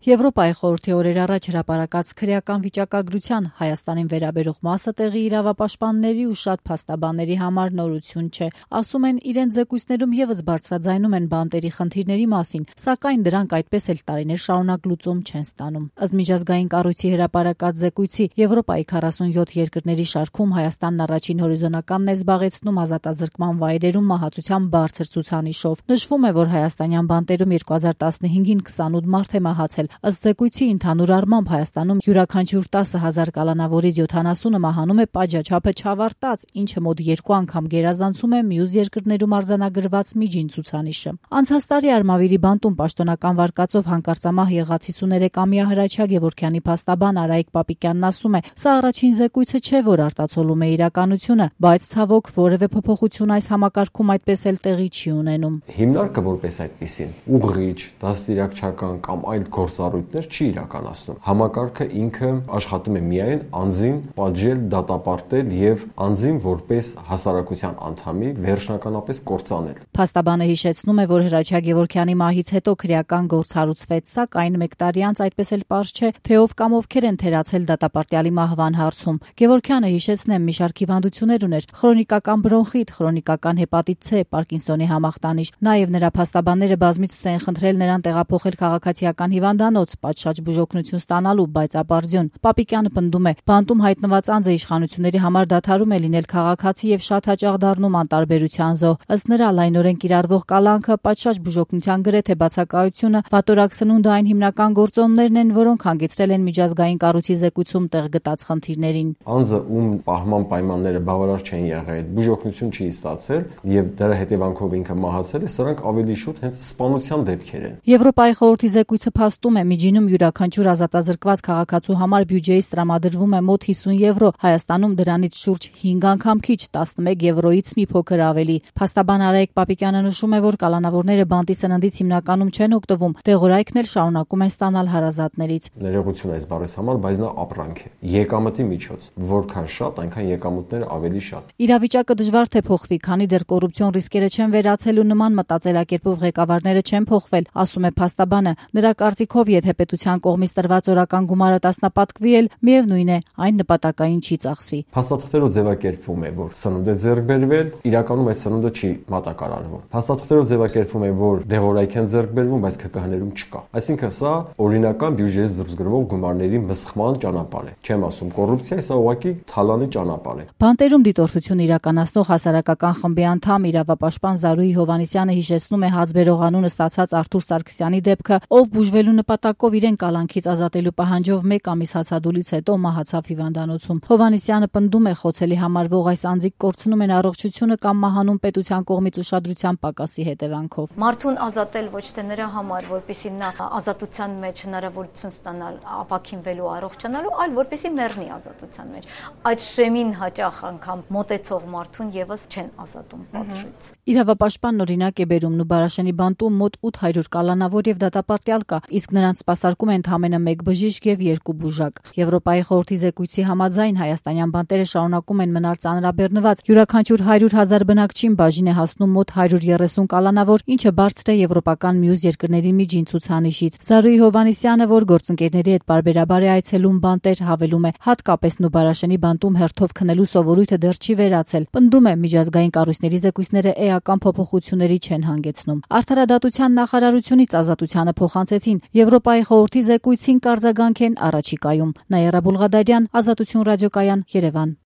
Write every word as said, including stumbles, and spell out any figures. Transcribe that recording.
Եվրոպայի խորհրդի օրեր առաջ հրապարակած քրեական վիճակագրության Հայաստանին վերաբերող մասը տեղի իրավապաշտպանների ու շատ փաստաբանների համար նորություն չէ։ Ասում են, իրենց զեկույցներում ևս բարձրաձայնում են բանտերի խնդիրների մասին, սակայն դրանք այդպես էլ տարիներ շարունակ լուծում չեն ստանում։ Ըստ միջազգային կառույցի հրապարակած զեկույցի Եվրոպայի քառասունյոթ երկրների շարքում Հայաստանն առաջին հորիզոնականն է զբաղեցնում ազատազրկման վայրերում մահացության բարձր ցուցանիշով։ Նշվում է, որ հայաստանյան բանտերում երկու հազար տասնհինգին քսանութ մարդ է մահացել։ Ըստ զեկույցի ընդհանուր առմամբ Հայաստանում յուրաքանչյուր տասը հազար կալանավորից յոթանասունը մահանում է պատժաչափը չավարտած, ինչը մոտ երկու անգամ գերազանցում է մյուս երկրներում արձանագրված միջին ցուցանիշը։ Անցած տարի Արմավիրի բանտում պաշտոնական վարկածով հանկարծամահ եղած հիսուներեքամյա Հրաչյա Գևորգյանի փաստաբան Արայիկ Պապիկյանն ասում է, սա առաջին զեկույցը չէ, որ արտացոլում է իրականությունը, բայց ցավոք որևէ փոփոխություն այս համակարգում այդպես էլ տեղի չի ունենում։ Հիմնարկը որպես այդպեսին ուղղիչ, դաստիարակչական կամ այլ գործառույթներ չի իրականացնում։ Համակարգը ինքը աշխատում է միայն անձին պատժել, դատապարտել եւ անձին որպես հասարակության անդամի վերջնականապես կործանել։ Փաստաբանը հիշեցնում է, որ Հրաչյա Գևորգյանի մահից հետո քրեական գործ հարուցվեց, սակայն մեկ տարի անց այդպես էլ պարզ չէ, թե ով կամ ովքեր են թերացել դատապարտյալի մահվան հարցում։ Գևորգյանը, հիշեցնեմ, մի շարք հիվանդություններ ուներ՝ քրոնիկական բրոնխիտ, քրոնիկական հեպատիտ C, Պարկինսոնի համախտանիշ։ Նաև նրա փաստաբանները բազմիցս են խնդրել նրան տեղափոխել քաղաքացիական հիվանդանոց, պատշաճ բուժօգնություն ստանալու, բայց ապարդյուն։ Պապիկյանը պնդում է, բանտում հայտնված անձը իշխանությունների համար դադարում է լինել քաղաքացի եւ շատ հաճախ դառնում անտարբերության զոհ։ Ըստ նրա, լայնորեն կիրառվող կալանքը, պատշաճ բուժօգնության գրեթե բացակայությունը, վատորակ սնունդը այն հիմնական գործոններն են, որոնք հանգեցրել են միջազգային կառույցի զեկույցում տեղ գտած խնդիրներին։ Անձը, ում պահման պայմանները բավարար չեն եղել, բուժօգնություն չի ստացել եւ դրա հետևանքով ինքը մահացել է, սրանք ավելի շուտ հենց սպանության դեպքեր են։ Եվրոպայի խորհրդի զեկույցը փաստում է, միջինում յուրաքանչյուր ազատազրկված քաղաքացու համար բյուջեից տրամադրվում է մոտ հիսուն եվրո, Հայաստանում դրանից շուրջ հինգ անգամ քիչ, տասնմեկ եվրոից մի փոքր ավելի։ Փաստաբան Արայիկ Պապիկյանը նշում է, որ կալանավորները բանտի սննդից հիմնականում չեն օգտվում, դեղորայքն էլ շարունակում են ստանալ հարազատներից։ Ներողություն այս բառից համար, բայց նա ապրանք է, եկամտի միջոց, որքան շատ, այնքան եկամուտները ավելի շատ։ Իրավիճակը դժվար թե փոխվի, քանի դեռ կոռուպցիոն ռիսկերը չեն վերացել ու նման մտածելակերպով ղեկավարները չեն փոխվել, ասում է փաստաբանը։ Նրա կարծիքով, եթե պետության կողմից տրված օրական գումարը տասնապատկվի էլ, միևնույն է, այն նպատակային չի ծախսվի։ Փաստաթղթերով ձևակերպվում է, որ սնունդ է ձեռք բերվել, իրականում այդ սնունդը չի մատակարարվում։ Փաստաթղթերով ձևակերպվում է, որ դեղորայք են ձեռք բերվում, բայց ԿԿՀ-ներում չկա։ Այսինքն սա օրինական բյուջեից դուրս գրվող գումարների մսխման ճանապարհ է։ Չեմ ասում կոռուպցիա, սա ուղղակի թալանի ճանապարհ է։ Բանտերում դիտորդություն իրականացնող հասարակական խմբի անդամ իրավապաշտպան Զարուհի Հովհաննիսյանը հիշեցնում է հացբերող անունը ստացած Արթուր Սարգսյանի դեպքը, ով բուժվելու նպատակով իրեն կալանքից ազատելու պահանջով մեկ ամիս հացադուլից հետո մահացավ հիվանդանոցում։ Հովհաննիսյանը պնդում է, խոցելի համարվող այս անձիկ կորցնում են առողջությունը կամ մահանում պետության կողմից ուշադրության պակասի հետևանքով։ Մարդուն ազատել ոչ թե նրա համար, որպեսզի նա ազատության մեջ հնարավորություն ստանալ ապաքինվելու, առողջանալու, այլ որպեսզի մեռնի ազատության մեջ։ Այդ շեմին հաճախ անգամ մոտեցող մարդուն եւս չեն ազատում պատժից։ Իրավապաշտպանն օրինակ է բերում Նուբարաշենի բանտում մոտ ութ հարյուր կալանավոր եւ դատապարտյալ կա, իսկ նրանց սպասարկում են ընդամենը մեկ բժիշկ եւ երկու բուժակ։ Եվրոպայի խորհրդի զեկույցի համաձայն հայաստանյան բանտերը շարունակում են մնալ ծանրաբեռնված։ Յուրաքանչյուր հարյուր հազար բնակչին բաժին է հասնում մոտ հարյուր երեսուն կալանավոր, ինչը բարձր է եվրոպական մյուս երկրների միջին ցուցանիշից։ Զարուհի Հովհաննիսյանը, որ գործընկերների հետ պարբերաբար է այցելում բանտեր, հավելում է, հատկապես Նուբարաշենի բանտում հերթով քնելու սովորույթը դեռ չի վերացել։ Պնդում է, միջազգային կառույցների զեկույցները էական փոփոխությունների չեն հանգեցնում։ Արդարադատության նախարարությունից ազատությանը փոխանցեցին, Եվրոպայի խորհրդի զեկույցին կարձագանք են առաջիկայում։ Նաիրա Բուլղադարյան, Ազատություն ռադիոկայան, Երևան։